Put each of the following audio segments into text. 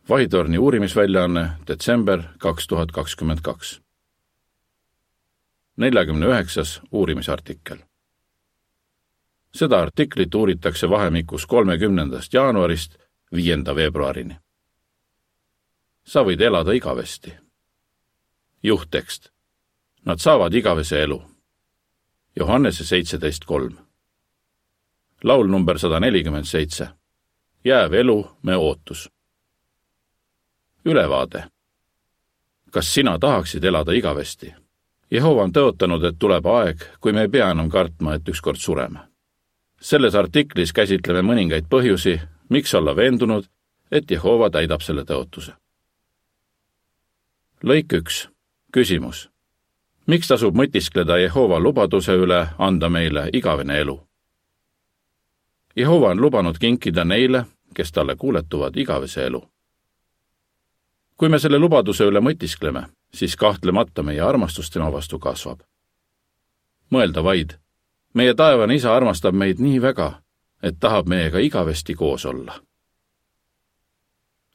Vahitorni uurimisväljaanne, detsember 2022. 49. uurimisartikkel. Seda artiklit uuritakse vahemikus 30. jaanuarist 5. veebruarini. Sa võid elada igavesti. Juhttekst. Nad saavad igavese elu. Johannese 17.3. Laul number 147. Jääv elu, me ootus. Ülevaade. Kas sina tahaksid elada igavesti? Jehova on tõotanud, et tuleb aeg, kui me ei pea enam kartma, et ükskord sureme. Selles artiklis käsitleme mõningaid põhjusi, miks olla veendunud, et Jehova täidab selle tõotuse. Lõik 1. Küsimus. Miks tasub mõtiskleda Jehova lubaduse üle anda meile igavene elu? Jehova on lubanud kinkida neile, kes talle kuuletuvad igavese elu. Kui me selle lubaduse üle mõtiskleme, siis kahtlemata meie armastus tema vastu kasvab. Mõelda vaid, meie taevane Isa armastab meid nii väga, et tahab meiega igavesti koos olla.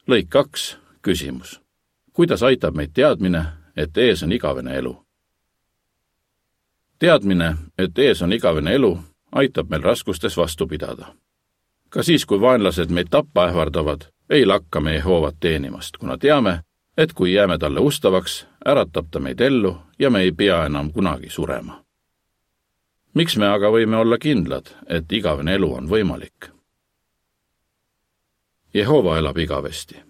Lõik 2. Küsimus. Kuidas aitab meid teadmine, et ees on igavene elu? Teadmine, et ees on igavene elu, aitab meil raskustes vastu pidada. Ka siis, kui vaenlased meid tappa ähvardavad, ei lakka me Jehovat teenimast, kuna teame, et kui jääme talle ustavaks, äratab ta meid ellu ja me ei pea enam kunagi surema. Miks me aga võime olla kindlad, et igavene elu on võimalik? Jehova elab igavesti.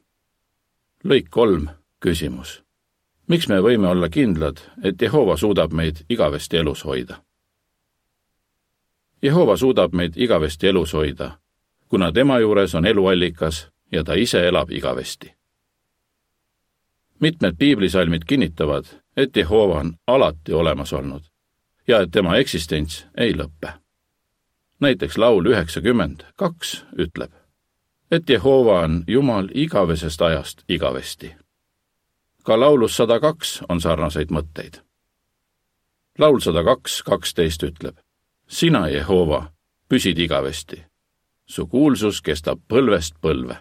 Lõik 3. Küsimus. Miks me võime olla kindlad, et Jehova suudab meid igavesti elus hoida? Jehova suudab meid igavesti elus hoida, kuna tema juures on eluallikas ja ta ise elab igavesti. Mitmed piiblisalmid kinnitavad, et Jehova on alati olemas olnud ja et tema eksistents ei lõppe. Näiteks laul 92 ütleb, et Jehova on Jumal igavesest ajast igavesti. Ka laulus 102 on sarnaseid mõtteid. Laul 102.12 ütleb, sina, Jehova, püsid igavesti. Su kuulsus kestab põlvest põlve.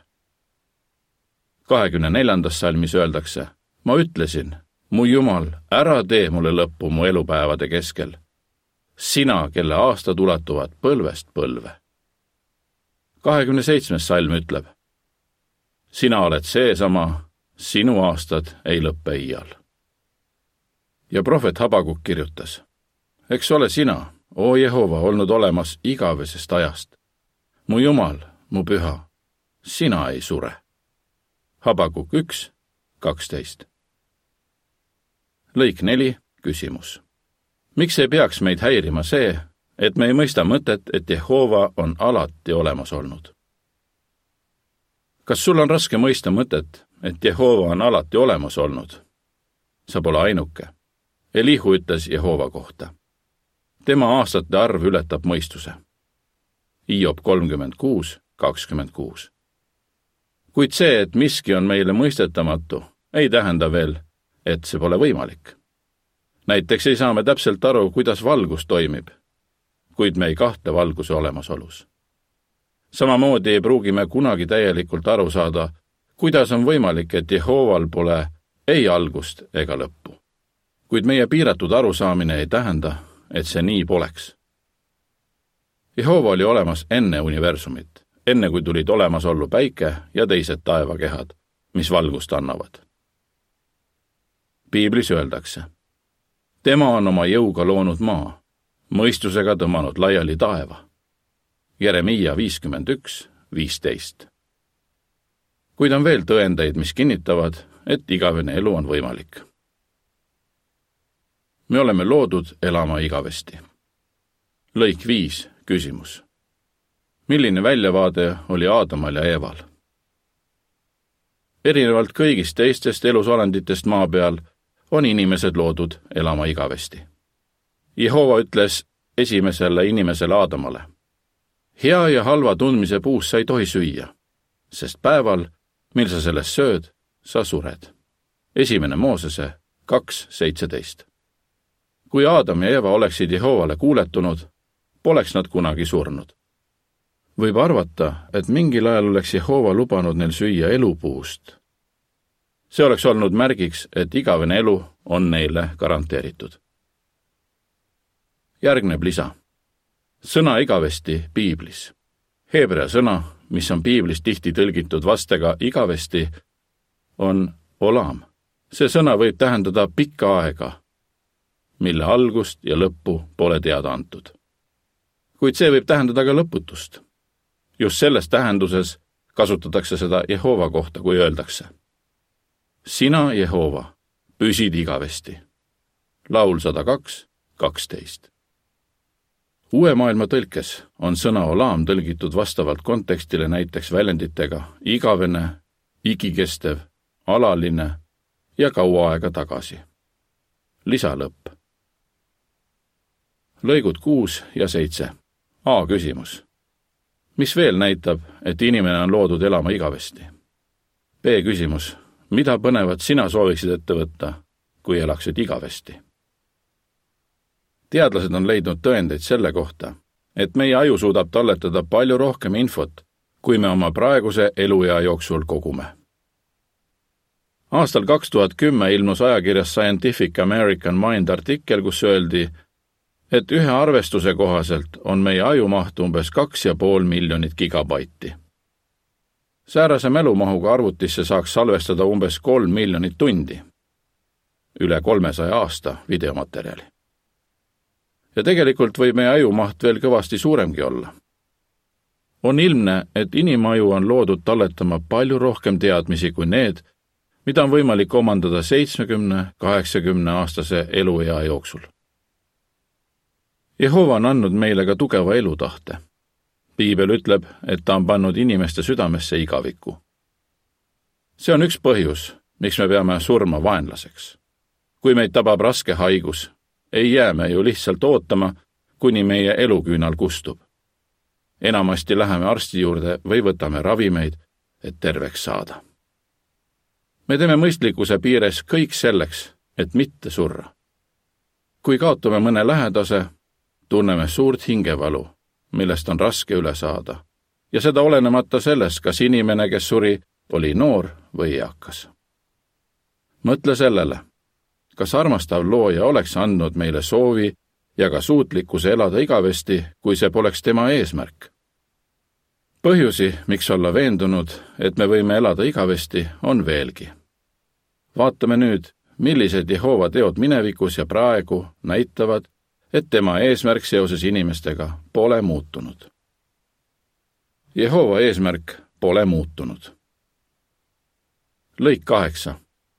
24. salmis öeldakse, ma ütlesin, mu Jumal, ära tee mulle lõppu mu elupäevade keskel. Sina, kelle aastad ulatuvad põlvest põlve. 27. salm ütleb, sina oled seesama, sinu aastad ei lõppe iial. Ja prohvet Habakuk kirjutas, eks ole sina, o Jehova, olnud olemas igavesest ajast. Mu Jumal, mu püha, sina ei sure. Habakuk 1.12. Lõik 4. Küsimus. Miks ei peaks meid häirima see, et me ei mõista mõtet, et Jehova on alati olemas olnud? Kas sul on raske mõista mõtet, et Jehova on alati olemas olnud? Sa pole ainuke. Elihu ütles Jehova kohta. Tema aastate arv ületab mõistuse. Hiob 36.26. Kuid see, et miski on meile mõistetamatu, ei tähenda veel, et see pole võimalik. Näiteks ei saa me täpselt aru, kuidas valgus toimib, kuid me ei kahtle valguse olemasolus. Samamoodi ei pruugi me kunagi täielikult aru saada, kuidas on võimalik, et Jehoval pole ei algust ega lõppu. Kuid meie piiratud arusaamine ei tähenda, et see nii poleks. Jehova oli olemas enne universumit, enne kui tulid olemasollu päike ja teised taevakehad, mis valgust annavad. Piiblis öeldakse, tema on oma jõuga loonud maa, mõistusega tõmmanud laiali taeva. Jeremiia 51.15. Kuid on veel tõendeid, mis kinnitavad, et igavene elu on võimalik. Me oleme loodud elama igavesti. Lõik 5. Küsimus. Milline väljavaade oli Aadamal ja Eeval? Erinevalt kõigist teistest elusolenditest maa peal on inimesed loodud elama igavesti. Jehova ütles esimesele inimesele Aadamale, hea ja halva tundmise puust sa ei tohi süüa, sest päeval, mil sa sellest sööd, sa sured. 1. Moosese 2.17. Kui Aadam ja Eeva oleksid Jehovale kuuletunud, poleks nad kunagi surnud. Võib arvata, et mingil ajal oleks Jehova lubanud neil süüa elupuust, See oleks olnud märgiks, et igavene elu on neile garanteeritud. Järgneb lisa. Sõna igavesti piiblis. Heebrea sõna, mis on piiblis tihti tõlgitud vastega igavesti, on olam. See sõna võib tähendada pikka aega, mille algust ja lõppu pole teada antud. Kuid see võib tähendada ka lõputust. Just selles tähenduses kasutatakse seda Jehova kohta, kui öeldakse: Sina, Jehova, püsid igavesti. Laul 102:12. Uue maailma tõlkes on sõna olam tõlgitud vastavalt kontekstile näiteks väljenditega igavene, igikestev, alaline ja kaua aega tagasi. Lisalõpp. Lõigud 6 ja 7. A küsimus. Mis veel näitab, et inimene on loodud elama igavesti? B küsimus. Mida põnevat sina sooviksid ette võtta, kui elaksid igavesti? Teadlased on leidnud tõendeid selle kohta, et meie aju suudab talletada palju rohkem infot, kui me oma praeguse eluea jooksul kogume. Aastal 2010 ilmus ajakirjas Scientific American Mind artikkel, kus öeldi, et ühe arvestuse kohaselt on meie ajumaht umbes 2,5 miljonit gigabaiti. Säärase mälumahuga arvutisse saaks salvestada umbes 3 miljonit tundi, üle 300 aasta videomaterjali. Ja tegelikult võib meie ajumaht veel kõvasti suuremgi olla. On ilmne, et inimaju on loodud talletama palju rohkem teadmisi kui need, mida on võimalik omandada 70-80 aastase eluea jooksul. Jehova on andnud meile ka tugeva elutahte. Piibel ütleb, et ta on pannud inimeste südamesse igaviku. See on üks põhjus, miks me peame surma vaenlaseks. Kui meid tabab raske haigus, ei jää me ju lihtsalt ootama, kuni meie eluküünal kustub. Enamasti läheme arsti juurde või võtame ravimeid, et terveks saada. Me teeme mõistlikkuse piires kõik selleks, et mitte surra. Kui kaotame mõne lähedase, tunneme suurt hingevalu, millest on raske üle saada, ja seda olenemata sellest, kas inimene, kes suri, oli noor või eakas. Mõtle sellele, kas armastav looja oleks andnud meile soovi ja ka suutlikkuse elada igavesti, kui see poleks tema eesmärk. Põhjusi, miks olla veendunud, et me võime elada igavesti, on veelgi. Vaatame nüüd, millised Jehova teod minevikus ja praegu näitavad, et tema eesmärk seoses inimestega pole muutunud. Jehova eesmärk pole muutunud. Lõik 8.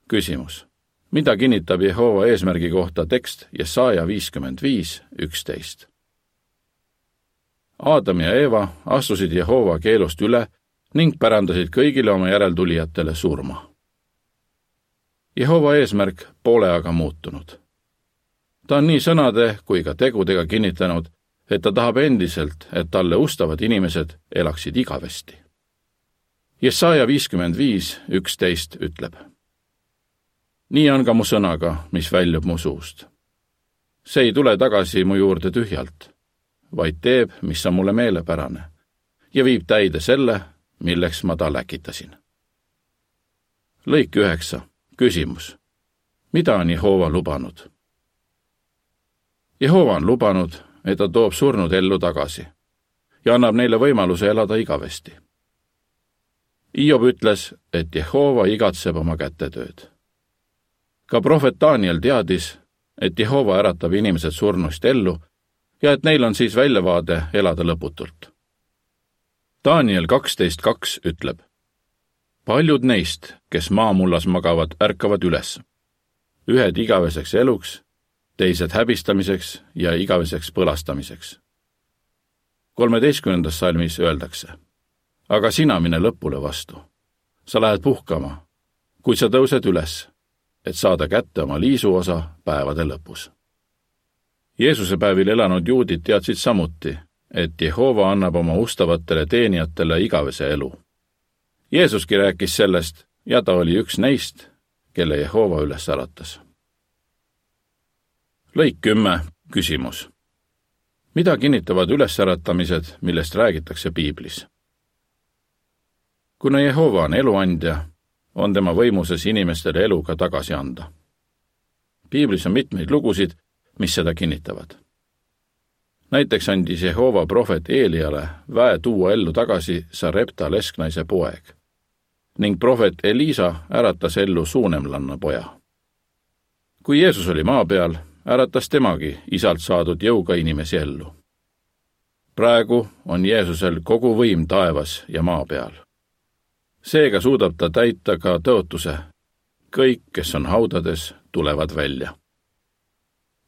Küsimus. Mida kinnitab Jehova eesmärgi kohta tekst Jesaja 55:11? Aadam ja Eeva astusid Jehova keelust üle ning pärandasid kõigile oma järeltulijatele surma. Jehova eesmärk pole aga muutunud. Ta on nii sõnade kui ka tegudega kinnitanud, et ta tahab endiselt, et talle ustavad inimesed elaksid igavesti. Jesaja 55:11 ütleb: Nii on ka mu sõnaga, mis väljub mu suust. See ei tule tagasi mu juurde tühjalt, vaid teeb, mis on mulle meelepärane, ja viib täide selle, milleks ma ta läkitasin. Lõik 9. Küsimus. Mida on Jehova lubanud? Jehova on lubanud, et ta toob surnud ellu tagasi ja annab neile võimaluse elada igavesti. Hiob ütles, et Jehova igatseb oma kätetööd. Ka prohvet Daniel teadis, et Jehova äratab inimesed surnust ellu ja et neil on siis väljavaade elada lõputult. Daniel 12:2 ütleb: Paljud neist, kes maamullas magavad, ärkavad üles. Ühed igaveseks eluks, teised häbistamiseks ja igaveseks põlastamiseks. 13. salmis öeldakse: Aga sina mine lõpule vastu. Sa lähed puhkama, kuid sa tõused üles, et saada kätte oma liisuosa päevade lõpus. Jeesuse päevil elanud juudid teadsid samuti, et Jehova annab oma ustavatele teenijatele igavese elu. Jeesuski rääkis sellest ja ta oli üks neist, kelle Jehova üles äratas. Lõik 10. Küsimus. Mida kinnitavad ülesäratamised, millest räägitakse piiblis? Kuna Jehova on eluandja, on tema võimuses inimestele elu ka tagasi anda. Piiblis on mitmeid lugusid, mis seda kinnitavad. Näiteks andis Jehova prohvet Eeliale väe tuua ellu tagasi Sarepta lesknaise poeg ning prohvet Elisa äratas ellu suunemlanna poja. Kui Jeesus oli maa peal, äratas temagi isalt saadud jõuga inimesi ellu. Praegu on Jeesusel kogu võim taevas ja maa peal. Seega suudab ta täita ka tõotuse. Kõik, kes on haudades, tulevad välja.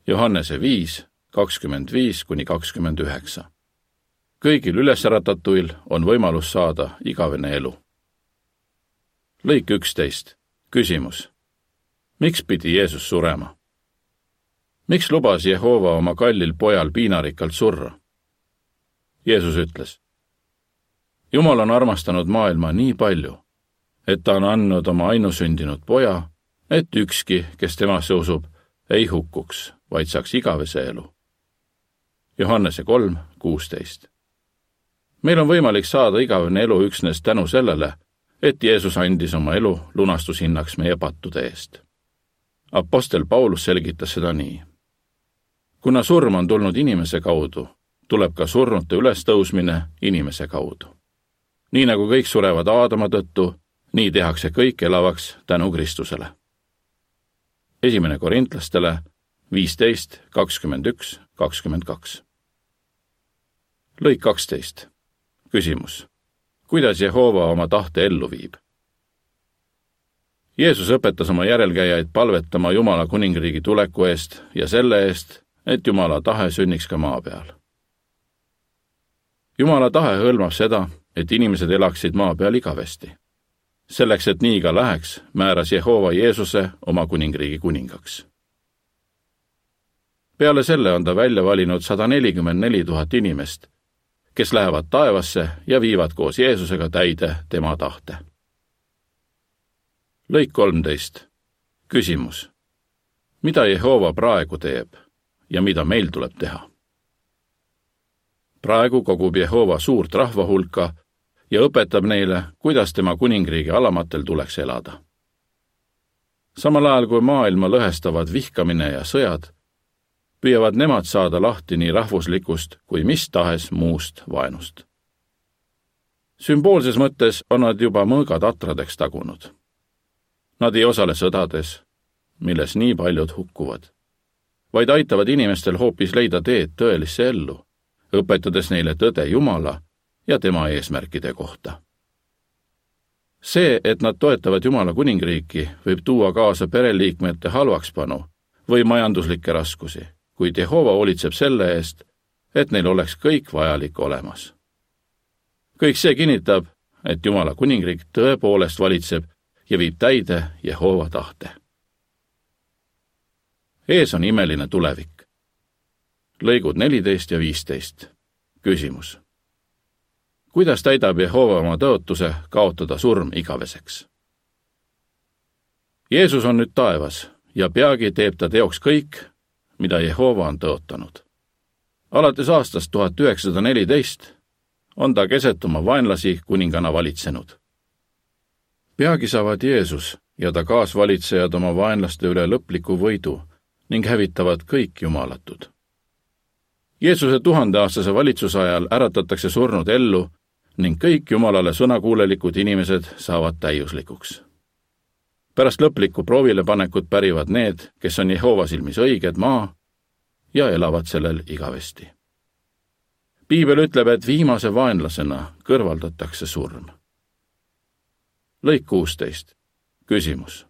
Johannese 5, 25–29. Kõigil ülesäratatuil on võimalus saada igavene elu. Lõik 11. Küsimus. Miks pidi Jeesus surema? Miks lubas Jehova oma kallil pojal piinarikkalt surra? Jeesus ütles, Jumal on armastanud maailma nii palju, et ta on andnud oma ainusündinud poja, et ükski, kes temasse usub, ei hukkuks, vaid saaks igavese elu. Johannese 3, 16. Meil on võimalik saada igavene elu üksnes tänu sellele, et Jeesus andis oma elu lunastushinnaks meie pattude eest. Apostel Paulus selgitas seda nii. Kuna surm on tulnud inimese kaudu, tuleb ka surnute ülestõusmine inimese kaudu. Nii nagu kõik surevad Aadama tõttu, nii tehakse kõik elavaks tänu Kristusele. 1. Korintlastele 15, 21, 22. Lõik 12. Küsimus. Kuidas Jehova oma tahte ellu viib? Jeesus õpetas oma järelkäijaid palvetama Jumala kuningriigi tuleku eest ja selle eest, et Jumala tahe sünniks ka maa peal. Jumala tahe hõlmab seda, et inimesed elaksid maa peal igavesti. Selleks, et nii ka läheks, määras Jehova Jeesuse oma kuningriigi kuningaks. Peale selle on ta välja valinud 144 000 inimest, kes lähevad taevasse ja viivad koos Jeesusega täide tema tahte. Lõik 13. Küsimus. Mida Jehova praegu teeb ja mida meil tuleb teha? Praegu kogub Jehova suurt rahva hulka ja õpetab neile, kuidas tema kuningriigi alamatel tuleks elada. Samal ajal kui maailma lõhestavad vihkamine ja sõjad, püüavad nemad saada lahti nii rahvuslikust kui mis tahes muust vaenust. Sümboolses mõttes on nad juba mõõgad atradeks tagunud. Nad ei osale sõdades, milles nii paljud hukkuvad, vaid aitavad inimestel hoopis leida teed tõelisse ellu, õpetades neile tõde Jumala ja tema eesmärkide kohta. See, et nad toetavad Jumala kuningriiki, võib tuua kaasa pereliikmete halvakspanu või majanduslikke raskusi, kuid Jehova hoolitseb selle eest, et neil oleks kõik vajalik olemas. Kõik see kinnitab, et Jumala kuningriik tõepoolest valitseb ja viib täide Jehova tahte. Ees on imeline tulevik. Lõigud 14 ja 15. Küsimus. Kuidas täidab Jehova oma tõotuse kaotada surm igaveseks? Jeesus on nüüd taevas ja peagi teeb ta teoks kõik, mida Jehova on tõotanud. Alates aastast 1914 on ta keset oma vaenlasi kuningana valitsenud. Peagi saavad Jeesus ja ta kaasvalitsejad oma vaenlaste üle lõpliku võidu ning hävitavad kõik jumalatud. Jeesuse 1000-aastase valitsuse ajal äratatakse surnud ellu ning kõik Jumalale sõnakuulelikud inimesed saavad täiuslikuks. Pärast lõplikku proovile panekut pärivad need, kes on Jehova silmis õiged maa ja elavad sellel igavesti. Piibel ütleb, et viimase vaenlasena kõrvaldatakse surm. Lõik 16. Küsimus.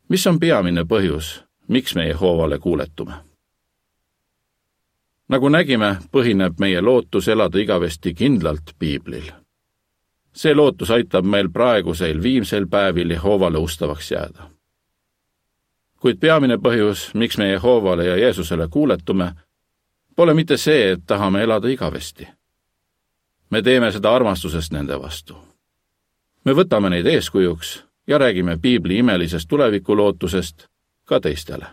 Mis on peamine põhjus, miks me Jehovale kuuletume? Nagu nägime, põhineb meie lootus elada igavesti kindlalt Piiblil. See lootus aitab meil praegusel viimsel päevil Jehovale ustavaks jääda. Kuid peamine põhjus, miks me Jehovale ja Jeesusele kuuletume, pole mitte see, et tahame elada igavesti. Me teeme seda armastusest nende vastu. Me võtame neid eeskujuks ja räägime Piibli imelisest tulevikulootusest ka teistele.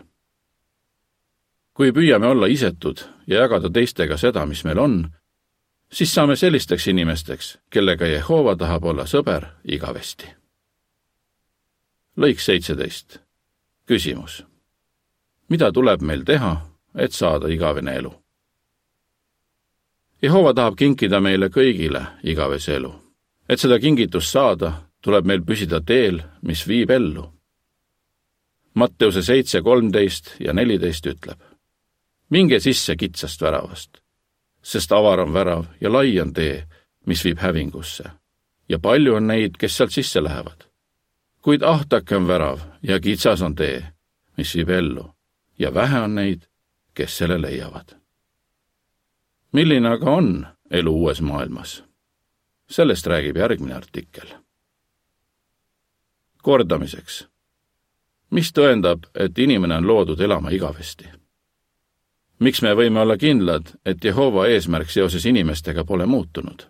Kui püüame olla isetud ja jagada teistega seda, mis meil on, siis saame sellisteks inimesteks, kellega Jehova tahab olla sõber igavesti. lõik 17. Küsimus. Mida tuleb meil teha, et saada igavene elu? Jehova tahab kinkida meile kõigile igavese elu. Et seda kingitust saada, tuleb meil püsida teel, mis viib ellu. Matteuse 7, 13 ja 14 ütleb. Minge sisse kitsast väravast, sest avar on värav ja lai on tee, mis viib hävingusse. Ja palju on neid, kes sealt sisse lähevad. Kuid ahtake on värav ja kitsas on tee, mis viib ellu. Ja vähe on neid, kes selle leiavad. Milline aga on elu uues maailmas? Sellest räägib järgmine artikkel. Kordamiseks. Mis tõendab, et inimene on loodud elama igavesti? Miks me võime olla kindlad, et Jehova eesmärk seoses inimestega pole muutunud?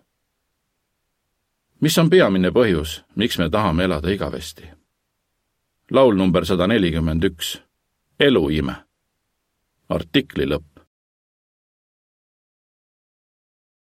Mis on peamine põhjus, miks me tahame elada igavesti? Laul number 141. Eluime. Artikli lõpp.